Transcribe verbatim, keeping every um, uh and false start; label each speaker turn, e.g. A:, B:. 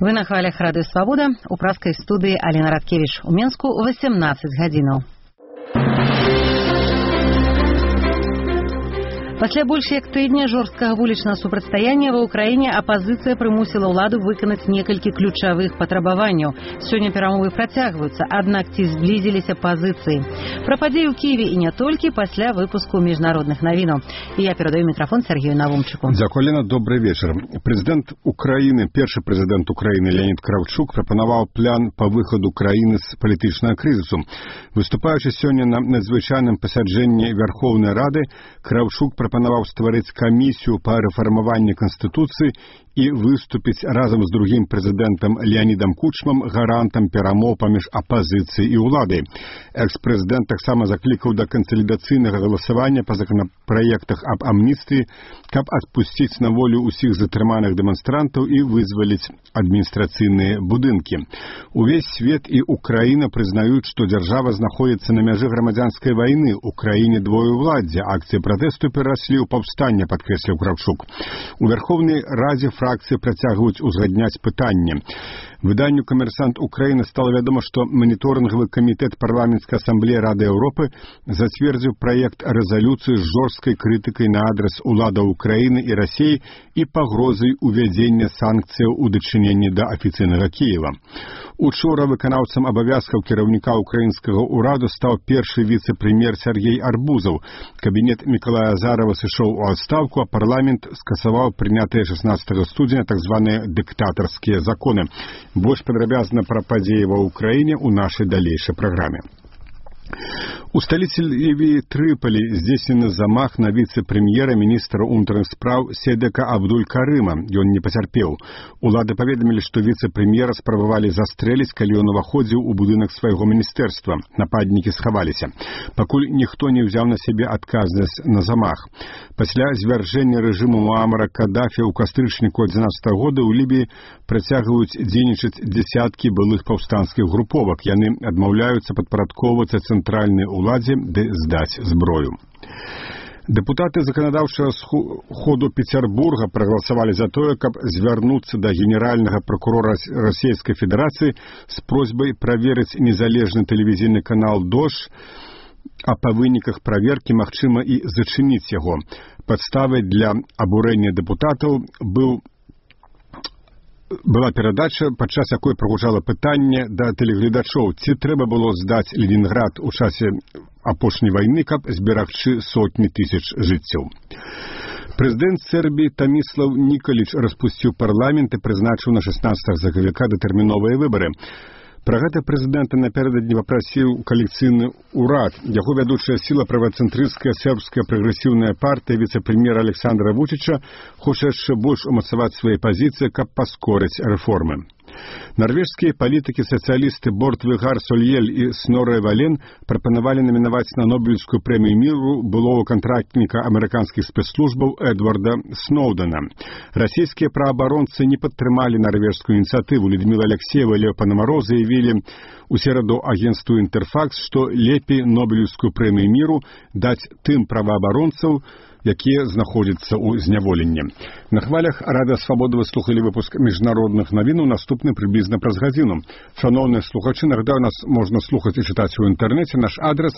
A: Вы на хвалях Радыё Свабода, у праскай студыі Алена Радкевіч. У Менску восемнадцать гадзінаў. Пасля больш як тыдня жорсткага вулічнага супрацьстаяння ва ўкраіне апазіцыя прымусіла ўладу выканаць некалькі ключавых патрабаванняў. Сёння перамовы працягваюцца, аднак ці зблізіліся пазіцыі. Пра падзеі ў Кіеве і не толькі пасля выпуску міжнародных навінаў. І я перадаю мікрафон Сергею Навумчыку.
B: Дзякуй, Алена, добрый вечар. Прэзідэнт Украіны, першы прэзідэнт Украіны Леонід Кравчук прапанаваў план па выхаду краіны з палітычнага крызісу. Выступаючы сёння на надзвычайным пасяджэнні Верховнай Рады, Кравчук прапанаваў стварыць камісію па рэфармаванні Канстытуцыі і выступіць разам з другім прэзідэнтам Леонідам Кучмам гарантам перамоў паміж апазіцыяй і ўладай. Экс-прэзідэнт таксама заклікаў да кансалідацыйнага галасавання па законапраектах аб амністыі, каб адпусціць на волю ўсіх затрыманых дэманстрантаў і вызваліць адміністрацыйныя будынкі. Увесь свет і Украіна прызнаюць, што дзяржава знаходзіцца на мяжы грамадзянскай вайны. У краіне двоеўладдзе. Акцыі пратэсту перараслі ў паўстанне, падкрэсліў Кравчук. У Верховнай Радзе фракцыі працягваюць узгадняць пытанне. Выданню «Камерсант Украіны» стала вядома, што маніторынгавы камітэт парламенцкай асамблеі Рады Еўропы зацвердзіў праект рэзалюцыі з жорсткай крытыкай на адрас уладаў Украіны і Расіі і пагрозай увядзення санкцыяў у дачыненні да афіцыйнага Кіева. Учора выканаўцам абавязкаў кіраўніка украінскага ўраду стаў першы віцэ-прэм'ер Сергей Арбузаў. Кабінет Мікалая Азарова сышоў у адстаўку, а парламент скасаваў прынятыя шаснаццатага студзеня так званыя дыктатарскія законы. Больш падрабязна пра падзеі ва ўкраіне ў нашай далейшай праграме. У сталіцы Лівіі Трыполі здзейснены замах на віцэ-прэм'ера міністра ўнутраных спраў Седека Абдуль-Карыма. Ён не пацярпеў. Улады паведамілі, што віцэ-прэм'ера спрабавалі застрэліць, калі ён уваходзіў у будынак свайго міністэрства. Нападнікі схаваліся. Пакуль ніхто не ўзяў на сябе адказнасць на замах. Пасля звяржэння рэжыму Муамара Кадафі ў кастрычніку адзінаццатага года ў Лібіі працягваюць дзейнічаць дзесяткі былых паўстанцкіх груповак. Яны адмаўляюцца падпарадкоўвацца цэнтральнай уладзе ды здаць зброю. Дэпутаты заканадаўчага сходу Петербурга прагаласавалі за тое, каб звярнуцца да генеральнага пракурора Расійскай Федэрацыі з просьбай праверыць незалежны тэлевізійны канал «Дождь», а па выніках праверкі магчыма і зачыніць яго. Падставай для абурэння дэпутатаў быў была перадача, падчас якой прагучала пытанне да тэлегледачоў, ці трэба было здаць Ленінград у часе апошняй вайны, каб зберагчы сотні тысяч жыццяў. Прэзідэнт Сербіі Таміслав Нікаліч распусціў парламент і прызначыў на шаснаццатага сакавіка датэрміновыя выбары. Пра гэта прэзідэнта напярэдадні папрасіў калекцыйны ўрад. Яго вядучая сіла правацэнтрысцкая сербская прагрэсіўная партыя віцэ-прэм'ера Александра Вучыча хоча яшчэ больш умацаваць свае пазіцыі, каб паскорыць рэформы. Нарвежскія палітыкі-сацыялісты Борт Вегар Сольель і Снорэ Вален прапанавалі намінаваць на Нобелевскую прэмію міру былого кантрактніка амерыканскіх спецслужбаў Эдварда Сноудена. Расійскія праабаронцы не падтрымалі нарвежскую ініцыятыву. Людмила Алексеева і Лео Панамаро заявілі у сераду агенцтву «Інтэрфакс», што лепей Нобелевскую прэмію міру даць тым праваабаронцаў, якія знаходзяцца ў зняволенні. На хвалях Радыё Свабода вы слухалі выпуск міжнародных навінаў, наступны прыблізна праз гадзіну. Шаноўныя слухачы, нагадаю, нас можна слухаць і чытаць у інтэрнэце. Наш адрас